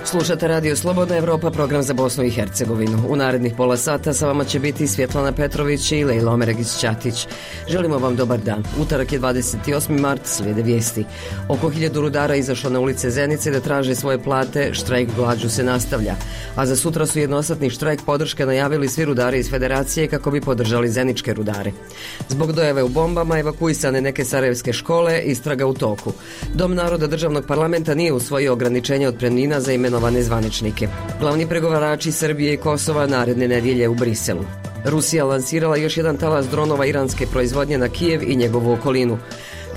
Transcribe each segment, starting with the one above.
Slušate Radio Slobodna Evropa, program za Bosnu i Hercegovinu. U narednih pola sata sa vama će biti Svjetlana Petrović i Lejla Omeregić-Ćatić. Želimo vam dobar dan. Utorak je 28. mart, slijede vijesti. Oko 1000 rudara izašlo na ulice Zenice da traže svoje plate, štrajk glađu se nastavlja. A za sutra su jednosatni štrajk podrške najavili svi rudari iz Federacije kako bi podržali zeničke rudare. Zbog dojave u bombama evakuisane neke sarajevske škole, istraga u toku. Dom naroda državnog parlamenta nije usvojio ograničenje otpremnina za imenovane zvaničnike. Glavni pregovarači Srbije i Kosova naredne nedjelje u Briselu. Rusija lansirala još jedan talas dronova iranske proizvodnje na Kijev i njegovu okolinu.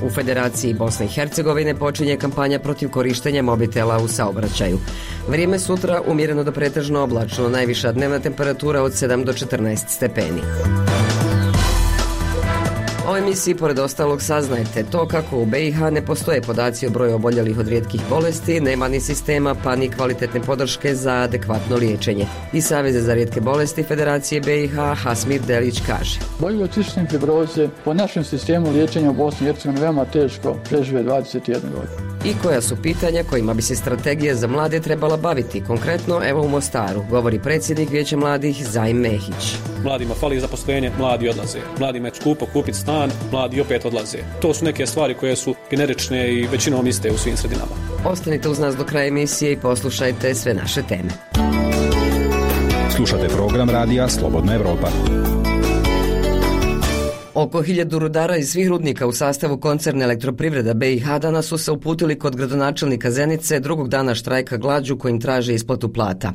U Federaciji Bosne i Hercegovine počinje kampanja protiv korištenja mobitela u saobraćaju. Vrijeme sutra umjereno do pretežno oblačno, najviša dnevna temperatura od 7 do 14 stepeni. U emisiji pored ostalog saznajte to kako u BiH ne postoje podaci o broju oboljelih od rijetkih bolesti, nema ni sistema pa ni kvalitetne podrške za adekvatno liječenje. Iz Saveza za rijetke bolesti Federacije BiH Hasmir Delić kaže: Oboljeli od cistične fibroze po našem sistemu liječenja u Bosni i Hercegovini veoma teško prežive 21 godinu. I koja su pitanja kojima bi se strategija za mlade trebala baviti? Konkretno, evo u Mostaru, govori predsjednik Vijeća mladih Zajim Mehić. Mladima fali zaposlenje, mladi odlaze. Mladima je skupo kupiti stan, mladi opet odlaze. To su neke stvari koje su generične i većinom iste u svim sredinama. Ostanite uz nas do kraja emisije i poslušajte sve naše teme. Slušate program Radija Slobodna Evropa. Oko 1000 rudara iz svih rudnika u sastavu koncerna Elektroprivreda BiH danas su se uputili kod gradonačelnika Zenice drugog dana štrajka glađu kojim traže isplatu plata.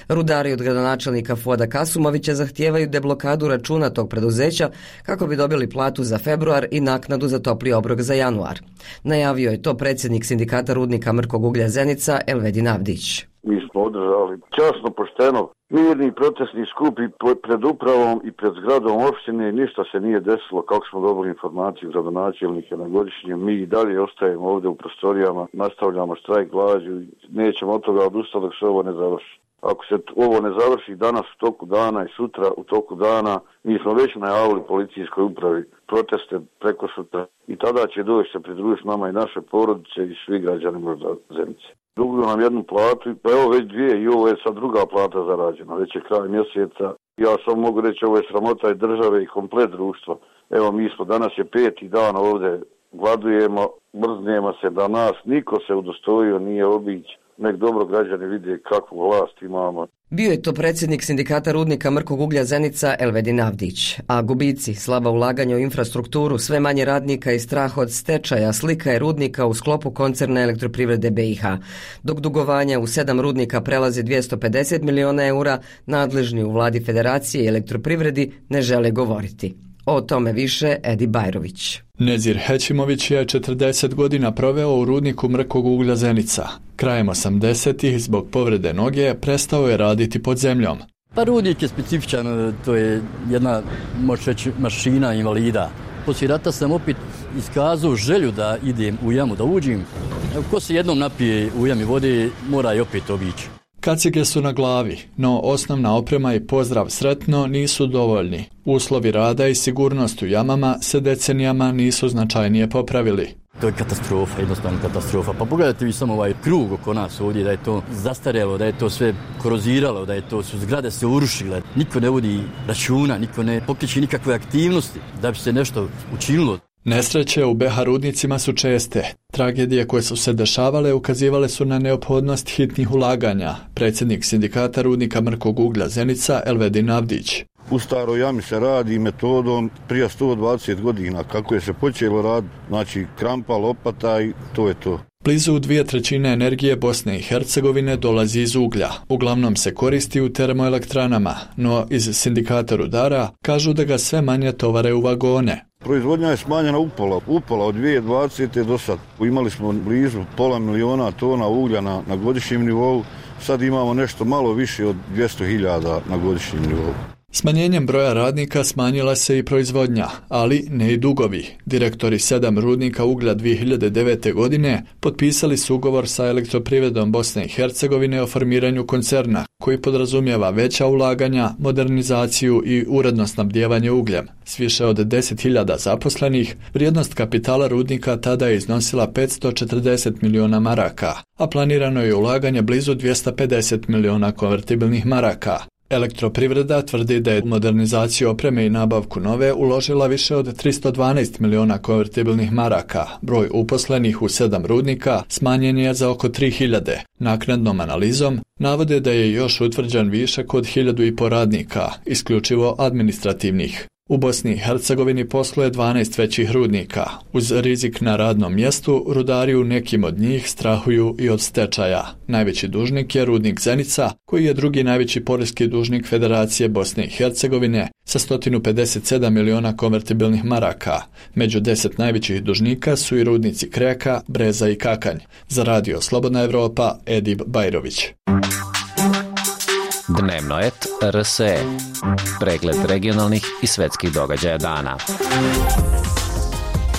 Rudari od gradonačelnika Fuada Kasumovića zahtijevaju deblokadu računa tog preduzeća kako bi dobili platu za februar i naknadu za topli obrok za januar. Najavio je to predsjednik sindikata rudnika Mrkog uglja Zenica Elvedin Avdić. Mi smo održali časno, pošteno, mirni protestni skup i pred upravom i pred zgradom opštine, ništa se nije desilo. Kako smo dobili informaciju gradonačelnika na godišnjem, mi i dalje ostajemo ovdje u prostorijama, nastavljamo štrajk glađu i nećemo od toga odustati dok se ovo ne završi. Ako se ovo ne završi danas u toku dana i sutra u toku dana, mi smo već najavili policijskoj upravi proteste preko sutra i tada će doći se pridružiti nama i naše porodice i svi građani Zenice. Duguju nam jednu platu, pa evo već dvije i ovo je sad druga plata zarađena, već je kraj mjeseca. Ja samo mogu reći ovo je sramota i države i komplet društva. Evo mi smo, danas je 5. dan ovdje, gladujemo, mrznemo se da nas niko se udostojio nije obići. Nek dobro građani vide kakvu vlast imamo. Bio je to predsjednik sindikata rudnika Mrkog uglja Zenica Elvedin Avdić. A gubici, slaba ulaganja u infrastrukturu, sve manje radnika i strah od stečaja slika je rudnika u sklopu koncerna Elektroprivrede BiH. Dok dugovanja u 7 rudnika prelazi 250 miliona eura, nadležni u vladi Federacije i Elektroprivredi ne žele govoriti. O tome više Edi Bajrović. Nezir Hećimović je 40 godina proveo u rudniku Mrkog uglja Zenica. Krajem 80-ih zbog povrede noge prestao je raditi pod zemljom. Pa rudnik je specifičan, to je jedna, možeš reći, mašina invalida. Poslije rata sam opet iskazao želju da idem u jamu, da uđem. Ko se jednom napije u jami vode, mora i opet obići. Kacige su na glavi, no osnovna oprema i pozdrav sretno nisu dovoljni. Uslovi rada i sigurnost u jamama se decenijama nisu značajnije popravili. To je katastrofa, jednostavno katastrofa. Pa pogledajte vi samo ovaj krug oko nas ovdje, da je to zastarjelo, da je to sve koroziralo, da je to su zgrade se urušile. Niko ne vodi računa, niko ne pokreće nikakve aktivnosti da bi se nešto učinilo. Nesreće u BiH rudnicima su česte. Tragedije koje su se dešavale ukazivale su na neophodnost hitnih ulaganja. Predsjednik sindikata rudnika Mrkog uglja Zenica Elvedin Avdić. U staroj jami se radi metodom prije 120 godina. Kako je se počelo raditi, znači krampa, lopata i to je to. Blizu 2/3 energije Bosne i Hercegovine dolazi iz uglja. Uglavnom se koristi u termoelektranama, no iz sindikata rudara kažu da ga sve manje tovare u vagone. Proizvodnja je smanjena upola od 2020. do sad. Imali smo blizu 500.000 tona uglja na godišnjem nivou, sad imamo nešto malo više od 200.000 na godišnjem nivou. Smanjenjem broja radnika smanjila se i proizvodnja, ali ne i dugovi. Direktori 7 rudnika uglja 2009. godine potpisali su ugovor sa Elektroprivredom Bosne i Hercegovine o formiranju koncerna, koji podrazumijeva veća ulaganja, modernizaciju i uredno snabdijevanje ugljem. S više od 10.000 zaposlenih, vrijednost kapitala rudnika tada je iznosila 540 miliona maraka, a planirano je ulaganje blizu 250 miliona konvertibilnih maraka. Elektroprivreda tvrdi da je u modernizaciju opreme i nabavku nove uložila više od 312 miliona konvertibilnih maraka. Broj uposlenih u 7 rudnika smanjen je za oko 3.000. Naknadnom analizom navode da je još utvrđen višak od 1.500 radnika, isključivo administrativnih. U Bosni i Hercegovini posluje 12 većih rudnika. Uz rizik na radnom mjestu, rudari u nekim od njih strahuju i od stečaja. Najveći dužnik je rudnik Zenica, koji je drugi najveći poreski dužnik Federacije Bosne i Hercegovine sa 157 miliona konvertibilnih maraka. Među 10 najvećih dužnika su i rudnici Kreka, Breza i Kakanj. Za Radio Slobodna Evropa, Edib Bajrović. Dnevnoet RSE. Pregled regionalnih i svetskih događaja dana.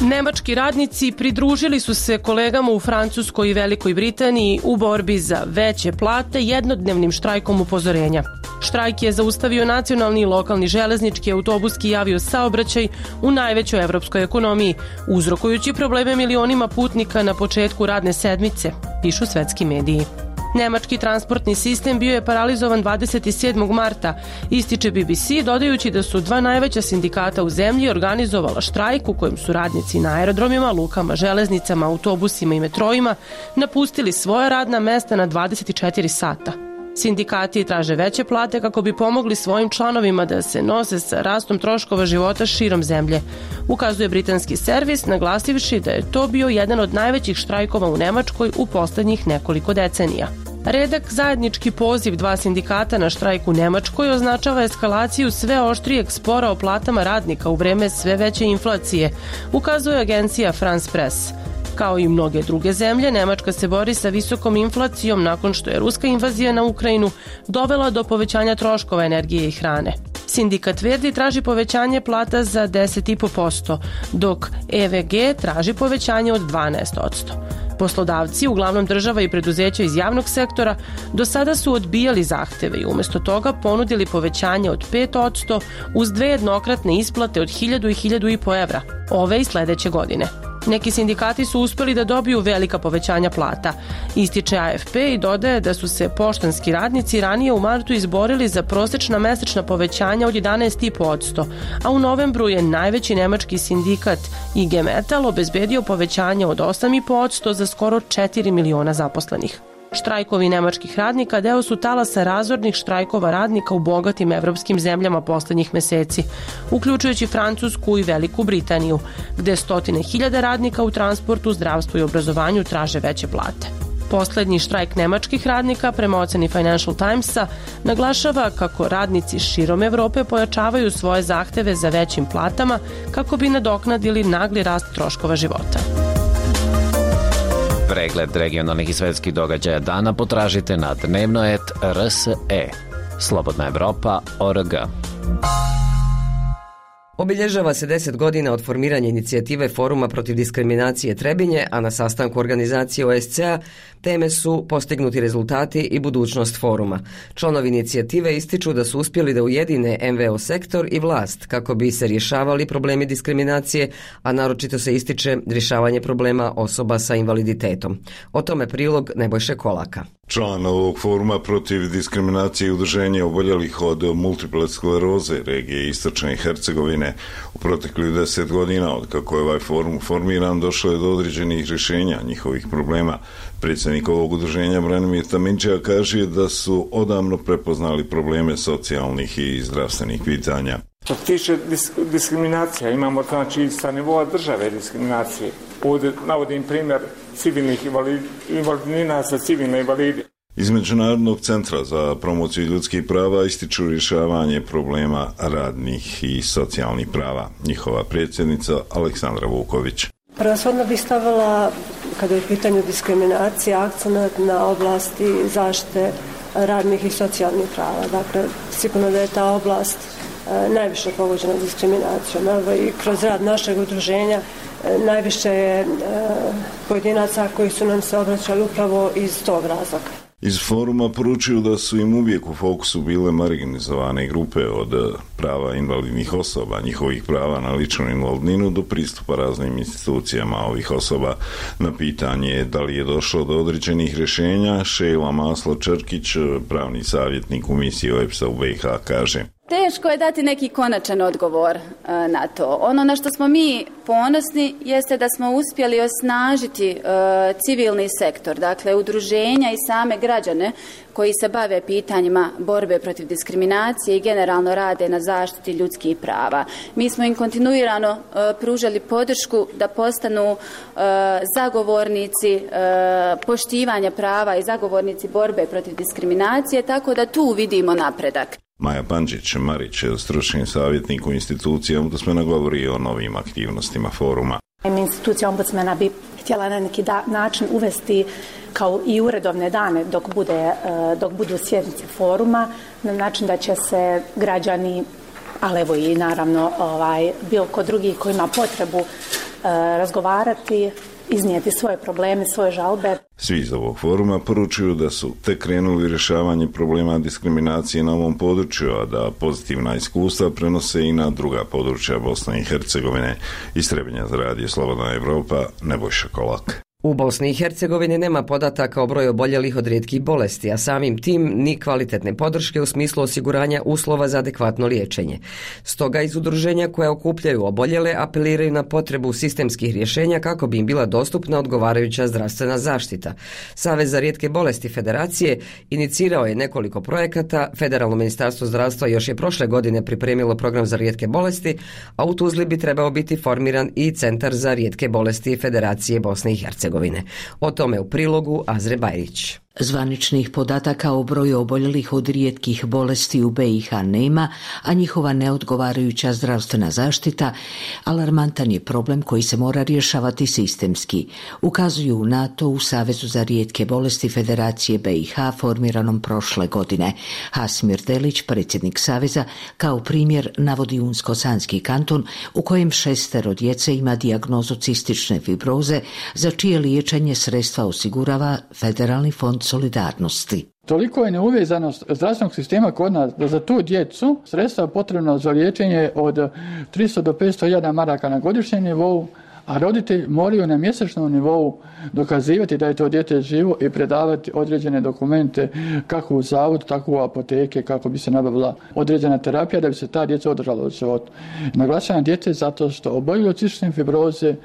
Nemački radnici pridružili su se kolegama u Francuskoj i Velikoj Britaniji u borbi za veće plate jednodnevnim štrajkom upozorenja. Štrajk je zaustavio nacionalni i lokalni železnički, autobuski i aviosaobraćaj u najvećoj evropskoj ekonomiji, uzrokujući probleme milionima putnika na početku radne sedmice, pišu svetski mediji. Nemački transportni sistem bio je paralizovan 27. marta, ističe BBC, dodajući da su dva najveća sindikata u zemlji organizovala štrajk u kojem su radnici na aerodromima, lukama, železnicama, autobusima i metrojima napustili svoja radna mesta na 24 sata. Sindikati traže veće plate kako bi pomogli svojim članovima da se nose sa rastom troškova života širom zemlje, ukazuje britanski servis, naglasivši da je to bio jedan od najvećih štrajkova u Nemačkoj u posljednjih nekoliko decenija. Redak zajednički poziv dva sindikata na štrajk u Nemačkoj označava eskalaciju sve oštrijeg spora o platama radnika u vreme sve veće inflacije, ukazuje agencija France Press. Kao i mnoge druge zemlje, Nemačka se bori sa visokom inflacijom nakon što je ruska invazija na Ukrajinu dovela do povećanja troškova energije i hrane. Sindikat Verdi traži povećanje plata za 10,5%, dok EVG traži povećanje od 12%. Poslodavci, uglavnom država i preduzeća iz javnog sektora, do sada su odbijali zahteve i umjesto toga ponudili povećanje od 5% uz dve jednokratne isplate od 1.000 i 1.500 evra, ove i sljedeće godine. Neki sindikati su uspjeli da dobiju velika povećanja plata, ističe AFP i dodaje da su se poštanski radnici ranije u martu izborili za prosječna mesečna povećanja od 11,5%, a u novembru je najveći nemački sindikat IG Metall obezbedio povećanje od 8,5% za skoro 4 miliona zaposlenih. Štrajkovi nemačkih radnika deo su talasa razornih štrajkova radnika u bogatim evropskim zemljama posljednjih meseci, uključujući Francusku i Veliku Britaniju, gde stotine hiljada radnika u transportu, zdravstvu i obrazovanju traže veće plate. Posljednji štrajk nemačkih radnika, prema oceni Financial Timesa, naglašava kako radnici širom Evrope pojačavaju svoje zahteve za većim platama kako bi nadoknadili nagli rast troškova života. Pregled regionalnih i svetskih događaja dana potražite na Dnevnoet RSE. Slobodna Evropa.org. Obilježava se 10 godina od formiranja inicijative Foruma protiv diskriminacije Trebinje, a na sastanku organizacije OSCE-a teme su postignuti rezultati i budućnost foruma. Članovi inicijative ističu da su uspjeli da ujedine NVO sektor i vlast kako bi se rješavali problemi diskriminacije, a naročito se ističe rješavanje problema osoba sa invaliditetom. O tome prilog Nebojše Kolaka. Član ovog foruma protiv diskriminacije i udruženja oboljelih od multiple skleroze regije Istočne Hercegovine u proteklih 10 godina od kako je ovaj forum formiran došlo je do određenih rješenja njihovih problema. Predsjednik ovog udruženja Branimir Taminčija kaže da su odavno prepoznali probleme socijalnih i zdravstvenih pitanja. Što se tiče diskriminacija, imamo znači sa nivoa države diskriminacije. Ovdje navodim primjer civilnih invalidnina za civilne invalide. Iz Međunarodnog centra za promociju ljudskih prava ističu rješavanje problema radnih i socijalnih prava. Njihova predsjednica Aleksandra Vuković. Prvenstveno bih stavila, kada je u pitanju diskriminacija, akcenat na oblasti zaštite radnih i socijalnih prava. Dakle, sigurno da je ta oblast najviše pogođena diskriminacijom. Evo i kroz rad našeg udruženja najviše je pojedinaca koji su nam se obraćali upravo iz tog razloga. Iz foruma poručuju da su im uvijek u fokusu bile marginalizovane grupe od prava invalidnih osoba, njihovih prava na ličnu invalidninu do pristupa raznim institucijama ovih osoba. Na pitanje da li je došlo do određenih rješenja, Šejla Maslo-Črkić, pravni savjetnik u misiji OEBS-a u BiH, kaže: Teško je dati neki konačan odgovor na to. Ono na što smo mi ponosni jeste da smo uspjeli osnažiti civilni sektor, dakle udruženja i same građane koji se bave pitanjima borbe protiv diskriminacije i generalno rade na zaštiti ljudskih prava. Mi smo im kontinuirano pružali podršku da postanu zagovornici poštivanja prava i zagovornici borbe protiv diskriminacije, tako da tu vidimo napredak. Maja Pandžić-Marić, stručni savjetnik u instituciji ombudsmana, govori o novim aktivnostima foruma. Institucija ombudsmana bi htjela na neki način uvesti kao i uredovne dane dok budu sjednice foruma, na način da će se građani, ali evo i naravno bilo ko drugi koji ima potrebu razgovarati, iznijeti svoje probleme, svoje žalbe. Svi iz ovog foruma poručuju da su tek krenuli rješavanje problema diskriminacije na ovom području, a da pozitivna iskustva prenose i na druga područja Bosne i Hercegovine. Iz Trebinja za Radio Slobodna Evropa, Nebojša Kolak. U Bosni i Hercegovini nema podataka o broju oboljelih od rijetkih bolesti, a samim tim ni kvalitetne podrške u smislu osiguranja uslova za adekvatno liječenje. Stoga iz udruženja koja okupljaju oboljele apeliraju na potrebu sistemskih rješenja kako bi im bila dostupna odgovarajuća zdravstvena zaštita. Savez za rijetke bolesti Federacije inicirao je nekoliko projekata, Federalno ministarstvo zdravstva još je prošle godine pripremilo program za rijetke bolesti, a u Tuzli bi trebao biti formiran i Centar za rijetke bolesti Federacije Bosne i Hercegovine. O tome u prilogu Azre Bajrić. Zvaničnih podataka o broju oboljelih od rijetkih bolesti u BiH nema, a njihova neodgovarajuća zdravstvena zaštita alarmantan je problem koji se mora rješavati sistemski. Ukazuju na to u Savezu za rijetke bolesti Federacije BiH formiranom prošle godine. Hasmir Delić, predsjednik Saveza, kao primjer navodi Unsko-Sanski kanton u kojem 6 djece ima dijagnozu cistične fibroze, za čije liječenje sredstva osigurava Federalni fond solidarnosti. Toliko je neuvezanost zdravstvenog sistema kod nas da za tu djecu sredstva potrebna za liječenje od 300 do 500.000 maraka na godišnjem nivou, a roditelji moraju na mjesečnom nivou dokazivati da je to dijete živo i predavati određene dokumente kako u zavod, tako u apoteke, kako bi se nabavila određena terapija da bi se ta djeca održala od života. Naglašavam djece zato što oboljeli od cistične fibroze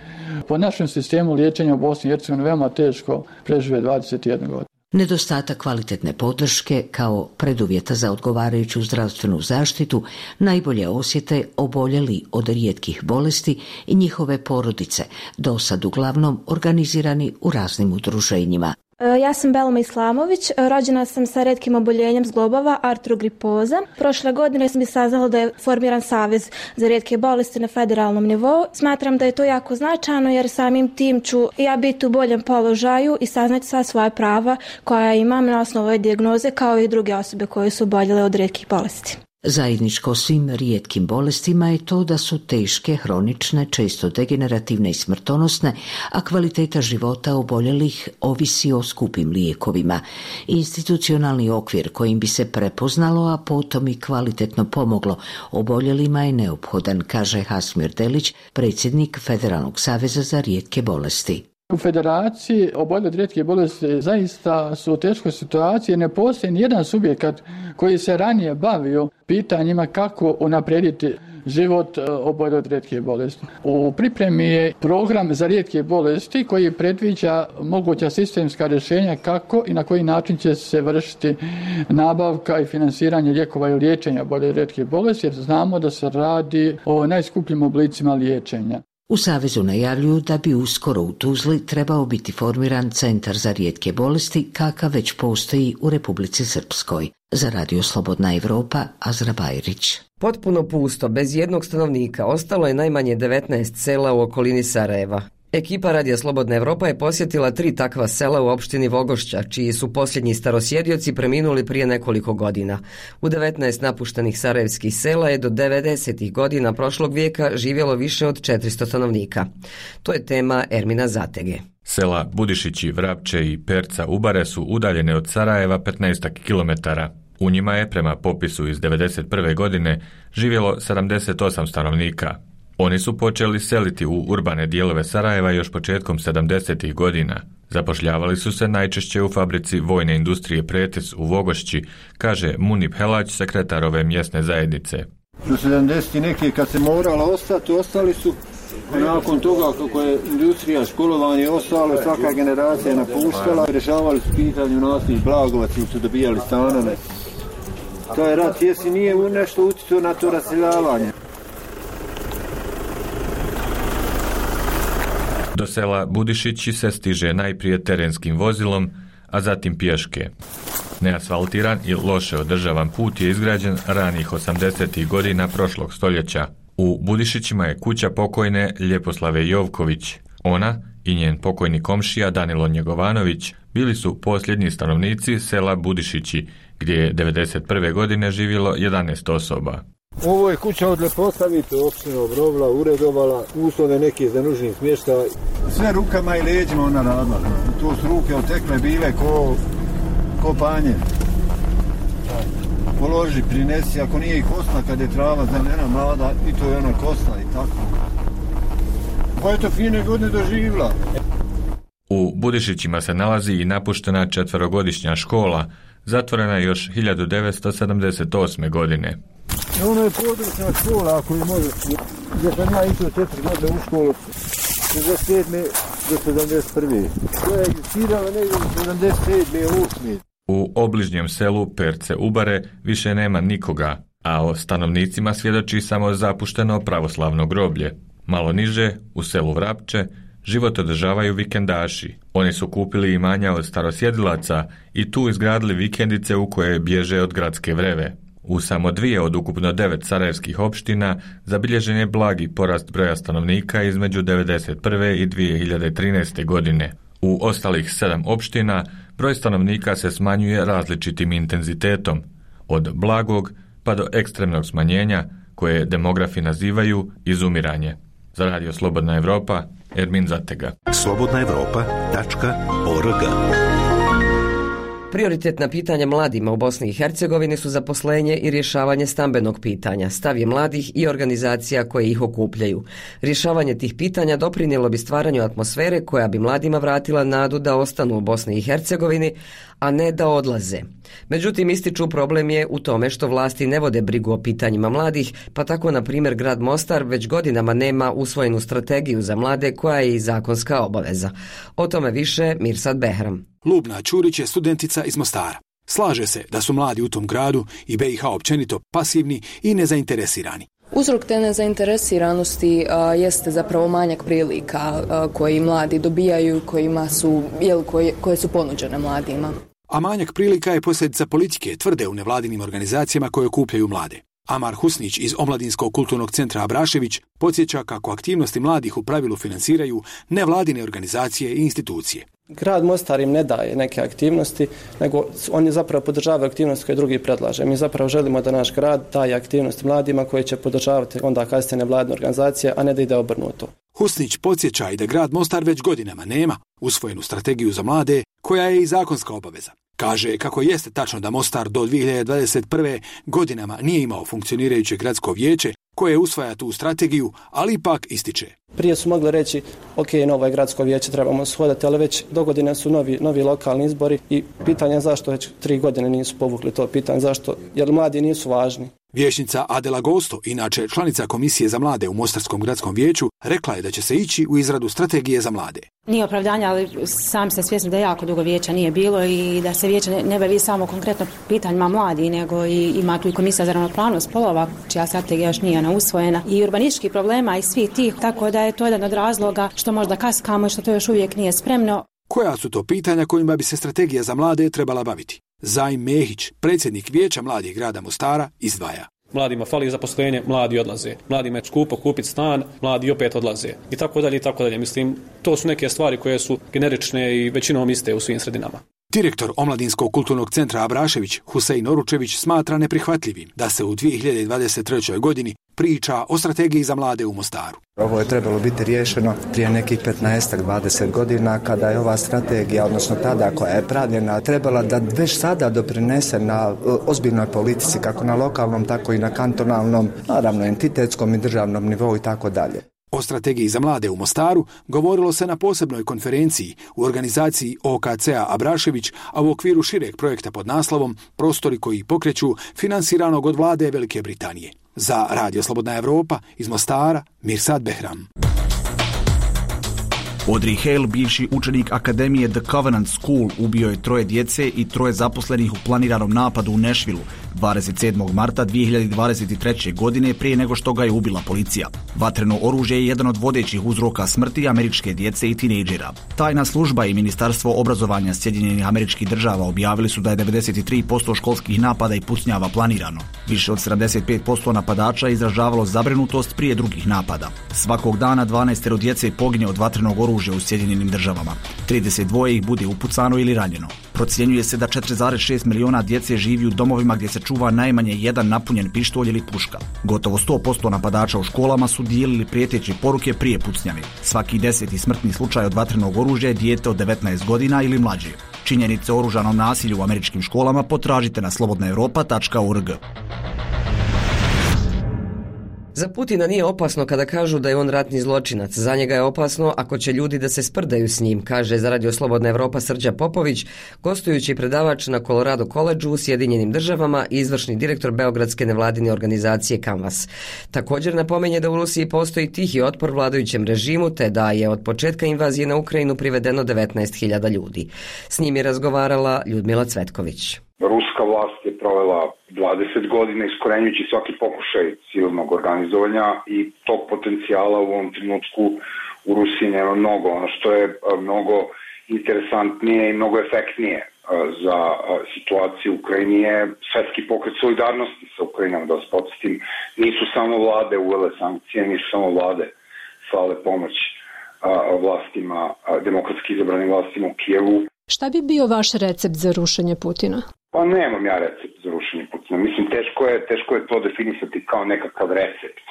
po našem sistemu liječenja u Bosni i Hercegovini veoma teško prežive 21 godinu. Nedostatak kvalitetne podrške kao preduvjeta za odgovarajuću zdravstvenu zaštitu najbolje osjete oboljeli od rijetkih bolesti i njihove porodice, dosad uglavnom organizirani u raznim udruženjima. Ja sam Belma Islamović, rođena sam sa retkim oboljenjem zglobova, artrogripoza. Prošle godine sam saznala da je formiran Savez za rijetke bolesti na federalnom nivou. Smatram da je to jako značajno jer samim tim ću ja biti u boljem položaju i saznati sva svoja prava koja imam na osnovu ove dijagnoze kao i druge osobe koje su oboljele od rijetkih bolesti. Zajedničko svim rijetkim bolestima je to da su teške, hronične, često degenerativne i smrtonosne, a kvaliteta života oboljelih ovisi o skupim lijekovima. Institucionalni okvir kojim bi se prepoznalo, a potom i kvalitetno pomoglo oboljelima je neophodan, kaže Hasmir Delić, predsjednik Federalnog saveza za rijetke bolesti. U Federaciji oboljeli od rijetke bolesti zaista su u teškoj situaciji, ne postoji nijedan subjekat koji se ranije bavio pitanjima kako unaprijediti život oboljeli od rijetke bolesti. U pripremi je program za rijetke bolesti koji predviđa moguća sistemska rješenja kako i na koji način će se vršiti nabavka i finansiranje lijekova i liječenja oboljeli od rijetke bolesti, jer znamo da se radi o najskupljim oblicima liječenja. U Savezu najavljuju da bi uskoro u Tuzli trebao biti formiran Centar za rijetke bolesti, kakav već postoji u Republici Srpskoj. Za Radio Slobodna Evropa, Azra Bajrić. Potpuno pusto, bez jednog stanovnika, ostalo je najmanje 19 sela u okolini Sarajeva. Ekipa Radija Slobodna Evropa je posjetila 3 takva sela u opštini Vogošća, čiji su posljednji starosjedioci preminuli prije nekoliko godina. U 19 napuštenih sarajevskih sela je do 90. godina prošlog vijeka živjelo više od 400 stanovnika. To je tema Ermina Zatege. Sela Budišići, Vrapče i Perca Ubare su udaljene od Sarajeva 15 km. U njima je, prema popisu iz 1991. godine, živjelo 78 stanovnika. Oni su počeli seliti u urbane dijelove Sarajeva još početkom 70. godina. Zapošljavali su se najčešće u fabrici vojne industrije Pretes u Vogošći, kaže Munip Helać, sekretar ove mjesne zajednice. U 70. neke kad se moralo ostati, ostali su. Nakon toga kako je industrija, školovanje ostalo, svaka generacija je napuštala, rješavali su pitanje naslih blagovaca, su dobijali stanove. To je rat, jesi nije nešto utjecao na to raseljavanje. Do sela Budišići se stiže najprije terenskim vozilom, a zatim pješke. Neasfaltiran i loše održavan put je izgrađen ranih 80. godina prošlog stoljeća. U Budišićima je kuća pokojne Ljeposlave Jovković. Ona i njen pokojni komšija Danilo Njegovanović bili su posljednji stanovnici sela Budišići, gdje je 1991. godine živjelo 11 osoba. Ovo je kuća od Leposavice, opština obnovila, uredovala, uslove neke za nužni smještaj. Sve rukama i leđima ona radila. To su ruke otekle bile ko panje. Položi, prinesi, ako nije i kosna kad je trava zelena mlada, i to je ona kosna i tako. Pa je to fine godine doživjela. U Budišićima se nalazi i napuštena 4-godišnja škola, zatvorena još 1978. godine. Ono je područna škola, ako je može, gdje sam ja išao 4 godine u školu, 67. do 71. To je egzistirala negdje u 77. 8. U obližnjem selu Perce Ubare više nema nikoga, a o stanovnicima svjedoči samo zapušteno pravoslavno groblje. Malo niže, u selu Vrapče, život održavaju vikendaši. Oni su kupili imanja od starosjedilaca i tu izgradili vikendice u koje bježe od gradske vreve. U samo 2 od ukupno 9 sarajevskih opština zabilježen je blagi porast broja stanovnika između 1991. i 2013. godine. U ostalih 7 opština broj stanovnika se smanjuje različitim intenzitetom, od blagog pa do ekstremnog smanjenja, koje demografi nazivaju izumiranje. Za Radio Slobodna Evropa, Ermin Zatega. slobodnaevropa.org. Prioritetna pitanja mladima u Bosni i Hercegovini su zaposlenje i rješavanje stambenog pitanja, stav je mladih i organizacija koje ih okupljaju. Rješavanje tih pitanja doprinijelo bi stvaranju atmosfere koja bi mladima vratila nadu da ostanu u Bosni i Hercegovini, a ne da odlaze. Međutim, ističu problem je u tome što vlasti ne vode brigu o pitanjima mladih, pa tako, na primjer, grad Mostar već godinama nema usvojenu strategiju za mlade koja je i zakonska obaveza. O tome više Mirsad Behram. Lubna Ćurić je studentica iz Mostara. Slaže se da su mladi u tom gradu i BiH općenito pasivni i nezainteresirani. Uzrok te nezainteresiranosti jeste zapravo manjak prilika koji mladi dobijaju, koje su ponuđene mladima. A manjak prilika je posljedica politike, tvrde u nevladinim organizacijama koje okupljaju mlade. Amar Husnić iz Omladinskog kulturnog centra Abrašević podsjeća kako aktivnosti mladih u pravilu financiraju nevladine organizacije i institucije. Grad Mostar im ne daje neke aktivnosti, nego oni zapravo podržavaju aktivnosti koje drugi predlaže. Mi zapravo želimo da naš grad daje aktivnosti mladima koje će podržavati onda kasnije nevladine organizacije, a ne da ide obrnuto. Husnić podsjeća i da grad Mostar već godinama nema usvojenu strategiju za mlade, koja je i zakonska obaveza. Kaže kako jeste tačno da Mostar do 2021. godinama nije imao funkcionirajuće gradsko vijeće koje usvaja tu strategiju, ali ipak ističe. Prije su mogli reći, ok, novo je gradsko vijeće, trebamo shodati, ali već dogodine su novi lokalni izbori i pitanje je zašto već 3 godine nisu povukli to pitanje, zašto, jer mladi nisu važni. Vijećnica Adela Gosto, inače članica Komisije za mlade u Mostarskom gradskom vijeću, rekla je da će se ići u izradu strategije za mlade. Nije opravdanja, ali sam ste svjesni da jako dugo vijeća nije bilo i da se vijeće ne bavi samo konkretno pitanjima mladi, nego i ima tu i Komisija za ravnopravnost spolova, čija strategija još nije usvojena, i urbanističkih problema i svih tih, tako da je to jedan od razloga što možda kaskamo i što to još uvijek nije spremno. Koja su to pitanja kojima bi se strategija za mlade trebala baviti? Zajm Mehić, predsjednik Vijeća mladih grada Mostara, izdvaja. Mladima fali zaposlenje, mladi odlaze. Mladima je skupo kupiti stan, mladi opet odlaze. I tako dalje, i tako dalje. Mislim, to su neke stvari koje su generične i većinom iste u svim sredinama. Direktor Omladinskog kulturnog centra Abrašević, Husein Oručević, smatra neprihvatljivim da se u 2023. godini priča o strategiji za mlade u Mostaru. Ovo je trebalo biti riješeno prije nekih 15-20 godina kada je ova strategija, odnosno tada koja je pravljena, trebala da već sada doprinese na ozbiljnoj politici kako na lokalnom, tako i na kantonalnom, naravno entitetskom i državnom nivou i tako dalje. O strategiji za mlade u Mostaru govorilo se na posebnoj konferenciji u organizaciji OKC-a Abrašević, a u okviru šireg projekta pod naslovom Prostori koji pokreću, finansiranog od vlade Velike Britanije. Za Radio Slobodna Evropa iz Mostara, Mirsad Behram. Audrey Hale, bivši učenik Akademije The Covenant School, ubio je 3 djece i 3 zaposlenih u planiranom napadu u Nashvilleu 27. marta 2023. godine prije nego što ga je ubila policija. Vatreno oružje je jedan od vodećih uzroka smrti američke djece i tinejdžera. Tajna služba i Ministarstvo obrazovanja Sjedinjenih Američkih Država objavili su da je 93% školskih napada i pucnjava planirano. Više od 75% napadača izražavalo zabrinutost prije drugih napada. Svakog dana 12 djece pogine od vatrenog oružja u Sjedinjenim Državama. 32 ih bude upucano ili ranjeno. Procjenjuje se da 4,6 miliona djece živi u domovima gdje se čuva najmanje jedan napunjen pištolj ili puška. Gotovo 100% napadača u školama su dijelili prijeteće poruke prije pucnjave. Svaki 10. smrtni slučaj od vatrenog oružja je dijete od 19 godina ili mlađe. Činjenice o oružanom nasilju u američkim školama potražite na slobodnaevropa.org. Za Putina nije opasno kada kažu da je on ratni zločinac. Za njega je opasno ako će ljudi da se sprdaju s njim, kaže za Radio Slobodna Evropa Srđa Popović, gostujući predavač na Colorado Collegeu u Sjedinjenim Državama i izvršni direktor beogradske nevladine organizacije Canvas. Također napominje da u Rusiji postoji tihi otpor vladajućem režimu, te da je od početka invazije na Ukrajinu privedeno 19.000 ljudi. S njim je razgovarala Ljudmila Cvetković. Ruska vlast je provela 20 godina iskorenjujući svaki pokušaj civilnog organizovanja i tog potencijala u ovom trenutku u Rusiji nema mnogo. Ono što je mnogo interesantnije i mnogo efektnije za situaciju u Ukrajini je svetski pokret solidarnosti sa Ukrajinom. Da vas podsjetim, nisu samo vlade uvele sankcije, nisu samo vlade slale pomoć vlastima, demokratski izabranim vlastima u Kijevu. Šta bi bio vaš recept za rušenje Putina? Pa nemam ja recept za rušenje Putina. Mislim, teško je to definisati kao nekakav recept.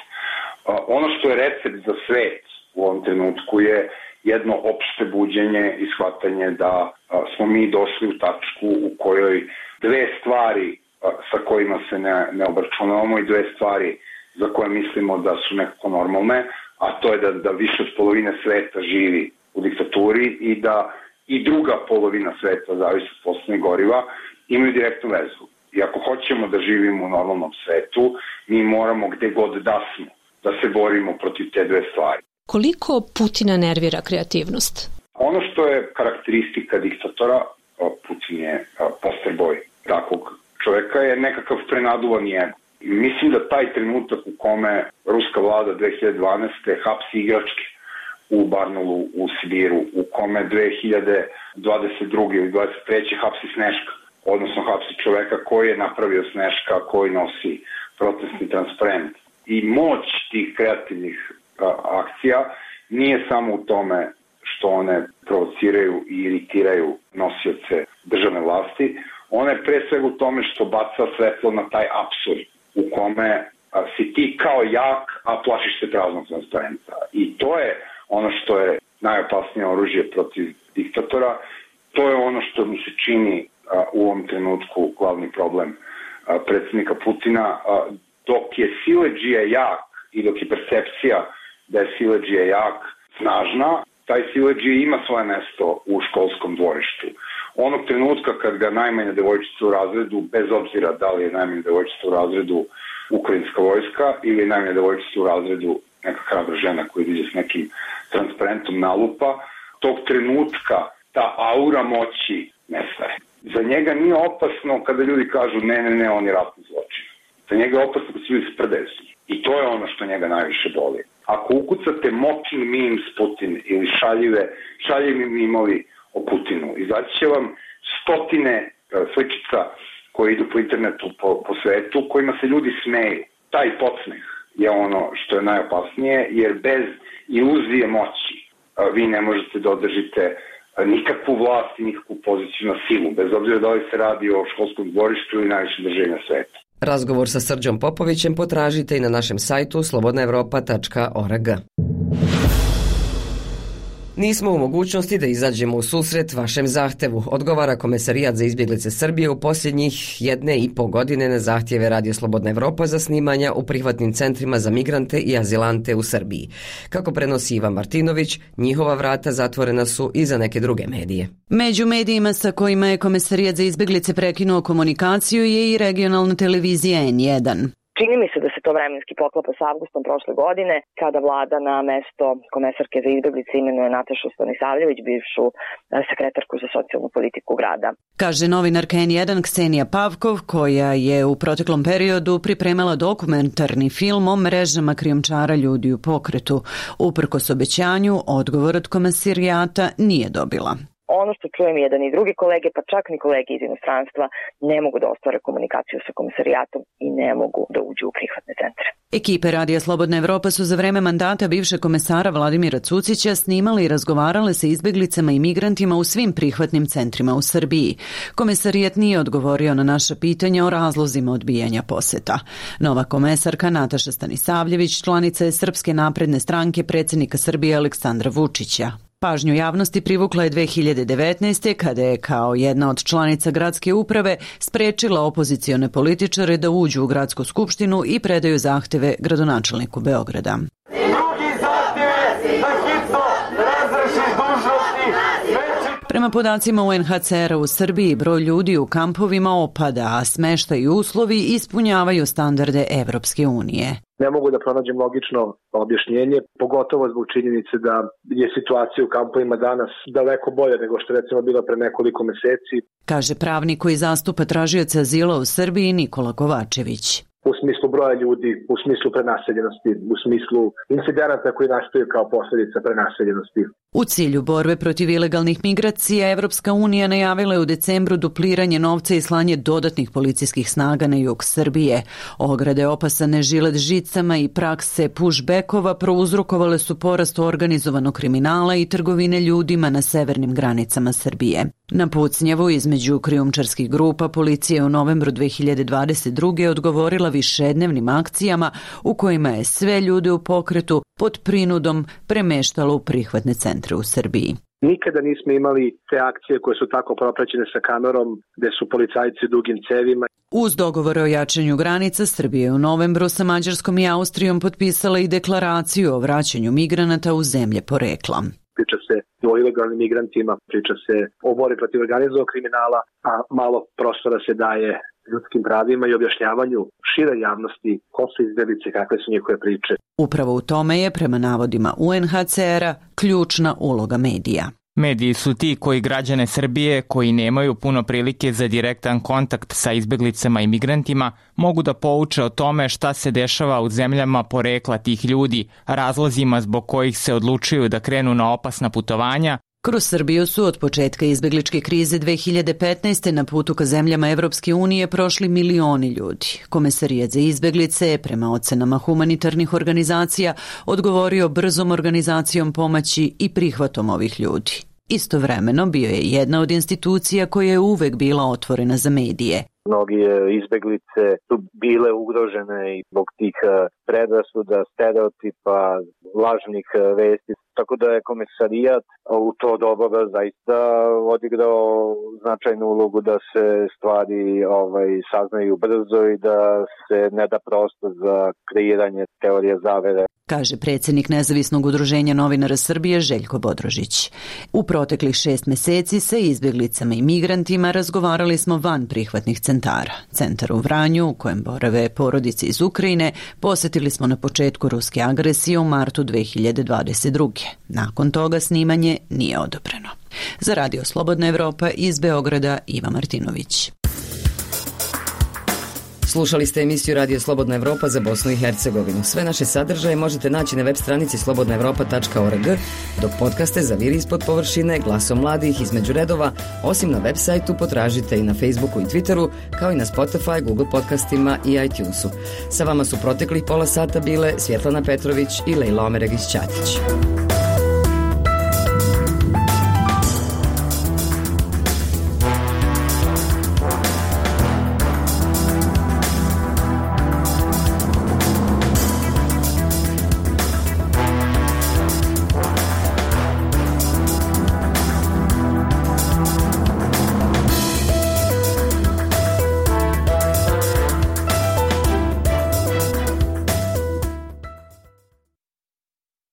Ono što je recept za svet u ovom trenutku je jedno opšte buđenje i shvatanje da smo mi došli u tačku u kojoj 2 stvari sa kojima se ne obračunavamo i 2 stvari za koje mislimo da su nekako normalne, a to je da više od polovine sveta živi u diktaturi i da i druga polovina sveta, zavisi od fosilnih goriva, imaju direktnu vezu. I ako hoćemo da živimo u normalnom svetu, mi moramo gde god da smo, da se borimo protiv te 2 stvari. Koliko Putina nervira kreativnost? Ono što je karakteristika diktatora, Putin je poster boj takvog čovjeka, je nekakav prenaduvan ego. Mislim da taj trenutak u kome ruska vlada 2012. hapsi igračke u Barnaulu u Sibiru, u kome 2022. ili 2023. hapsi Sneška, odnosno hapsi čoveka koji je napravio Sneška, koji nosi protestni transparent. I moć tih kreativnih akcija nije samo u tome što one provociraju i iritiraju nosioce državne vlasti, ona je pre svega u tome što baca svetlo na taj apsurd u kome si ti kao jak, a plašiš se praznog transparenta. I to je ono što je najopasnije oružje protiv diktatora, to je ono što mi se čini u ovom trenutku glavni problem predsjednika Putina. Dok je siledžija jak i dok je percepcija da je siledžija jak snažna, taj siledžija ima svoje mesto u školskom dvorištu. Onog trenutka kad ga najmanja devojčica u razredu, bez obzira da li je najmanja devojčica u razredu ukrajinska vojska ili najmanja devojčica u razredu neka hrabra žena koja ide s nekim transparentom nalupa, tog trenutka ta aura moći nestaje. Za njega nije opasno kada ljudi kažu ne, on je ratni zločin. Za njega je opasno kada se ljudi sprdaju s njim. I to je ono što njega najviše boli. Ako ukucate mocking memes Putin ili šaljivi mimovi o Putinu, izaći će vam stotine sličica koji idu po internetu, po svetu, kojima se ljudi smeju. Taj podsmeh je ono što je najopasnije, jer bez iluzije moći vi ne možete da održite nikakvu vlast i nikakvu poziciju na silu, bez obzira da li se radi o školskom dvorištu ili najviše državlja sveta. Razgovor sa Srđom Popovićem potražite i na našem sajtu slobodnaevropa.org. Nismo u mogućnosti da izađemo u susret vašem zahtevu, odgovara Komesarijat za izbjeglice Srbije u posljednjih 1,5 godine na zahtjeve Radio Slobodna Evropa za snimanja u prihvatnim centrima za migrante i azilante u Srbiji. Kako prenosi Ivan Martinović, njihova vrata zatvorena su i za neke druge medije. Među medijima sa kojima je Komesarijat za izbjeglice prekinuo komunikaciju je i regionalna televizija N1. Čini mi se da se to vremenski poklapa s avgustom prošle godine, kada vlada na mesto komesarke za izbjeglice imenuje Natašu Stanisavljević, bivšu sekretarku za socijalnu politiku grada. Kaže novinarka N1 Ksenija Pavkov, koja je u proteklom periodu pripremala dokumentarni film o mrežama krijumčara ljudi u pokretu. Uprkos obećanju, odgovor od Komesarijata nije dobila. Ono što čujem jedan i drugi kolege, pa čak ni kolege iz inostranstva, ne mogu da ostvare komunikaciju sa Komesarijatom i ne mogu da uđu u prihvatne centre. Ekipe Radija Slobodna Evropa su za vreme mandata bivšeg komesara Vladimira Cucića snimali i razgovarale sa izbjeglicama i migrantima u svim prihvatnim centrima u Srbiji. Komesarijat nije odgovorio na naša pitanja o razlozima odbijanja poseta. Nova komesarka Nataša Stanisavljević članica je Srpske napredne stranke predsjednika Srbije Aleksandra Vučića. Pažnju javnosti privukla je 2019. kada je kao jedna od članica gradske uprave sprečila opozicione političare da uđu u gradsku skupštinu i predaju zahteve gradonačelniku Beograda. Prema podacima UNHCR-a u Srbiji broj ljudi u kampovima opada, a smještaj i uslovi ispunjavaju standarde Evropske unije. Ne mogu da pronađem logično objašnjenje, pogotovo zbog činjenice da je situacija u kampovima danas daleko bolja nego što je recimo bila pre nekoliko meseci. Kaže pravnik koji zastupa tražioce azila u Srbiji Nikola Kovačević. U smislu broja ljudi, u smislu prenaseljenosti, u smislu incidenata koji nastaju kao posljedica prenaseljenosti. U cilju borbe protiv ilegalnih migracija, Evropska unija najavila je u decembru dupliranje novca i slanje dodatnih policijskih snaga na jug Srbije. Ograde opasane žilet žicama i prakse pushbackova prouzrokovale su porast organizovanog kriminala i trgovine ljudima na severnim granicama Srbije. Na pucnjavu između krijumčarskih grupa policija je u novembru 2022. odgovorila višednevnim akcijama u kojima je sve ljude u pokretu pod prinudom premeštalo u prihvatne centre u Srbiji. Nikada nismo imali te akcije koje su tako propraćene sa kamerom, gde su policajci dugim cevima. Uz dogovore o jačanju granica, Srbija je u novembru sa Mađarskom i Austrijom potpisala i deklaraciju o vraćanju migranata u zemlje porekla. Priča se o ilegalnim migrantima, priča se o borbi protiv organizovanog kriminala, a malo prostora se daje ljudskim pravima i objašnjavanju šire javnosti ko su izbjeglice, kakve su njihove priče. Upravo u tome je, prema navodima UNHCR-a, ključna uloga medija. Mediji su ti koji građane Srbije, koji nemaju puno prilike za direktan kontakt sa izbjeglicama i migrantima, mogu da pouče o tome šta se dešava u zemljama porekla tih ljudi, razlozima zbog kojih se odlučuju da krenu na opasna putovanja. Kroz Srbiju su od početka izbjegličke krize 2015. na putu ka zemljama Evropske unije prošli milioni ljudi. Komesarijat za izbjeglice je, prema ocenama humanitarnih organizacija, odgovorio brzom organizacijom pomoći i prihvatom ovih ljudi. Istovremeno bio je jedna od institucija koja je uvek bila otvorena za medije. Mnogi izbjeglice su bile ugrožene i zbog tih predrasuda, stereotipa, lažnih vesti. Tako da je Komesarijat u to doba zaista odigrao značajnu ulogu da se stvari saznaju brzo i da se ne da prostor za kreiranje teorije zavere. Kaže predsjednik Nezavisnog udruženja novinara Srbije Željko Bodrožić. U proteklih 6 meseci sa izbjeglicama i migrantima razgovarali smo van prihvatnih centara. Centar u Vranju, u kojem borave porodice iz Ukrajine, posjetili smo na početku ruske agresije u martu 2022. Nakon toga snimanje nije odobreno. Za Radio Slobodna Evropa iz Beograda Iva Martinović. Slušali ste emisiju Radio Slobodna Evropa za Bosnu i Hercegovinu. Sve naše sadržaje možete naći na web stranici slobodnaevropa.org, dok podcaste Zaviri ispod površine, Glasom mladih, Između redova, osim na web sajtu potražite i na Facebooku i Twitteru, kao i na Spotify, Google podcastima i iTunesu. Sa vama su proteklih pola sata bile Svjetlana Petrović i Lejla Omeregić-Ćatić.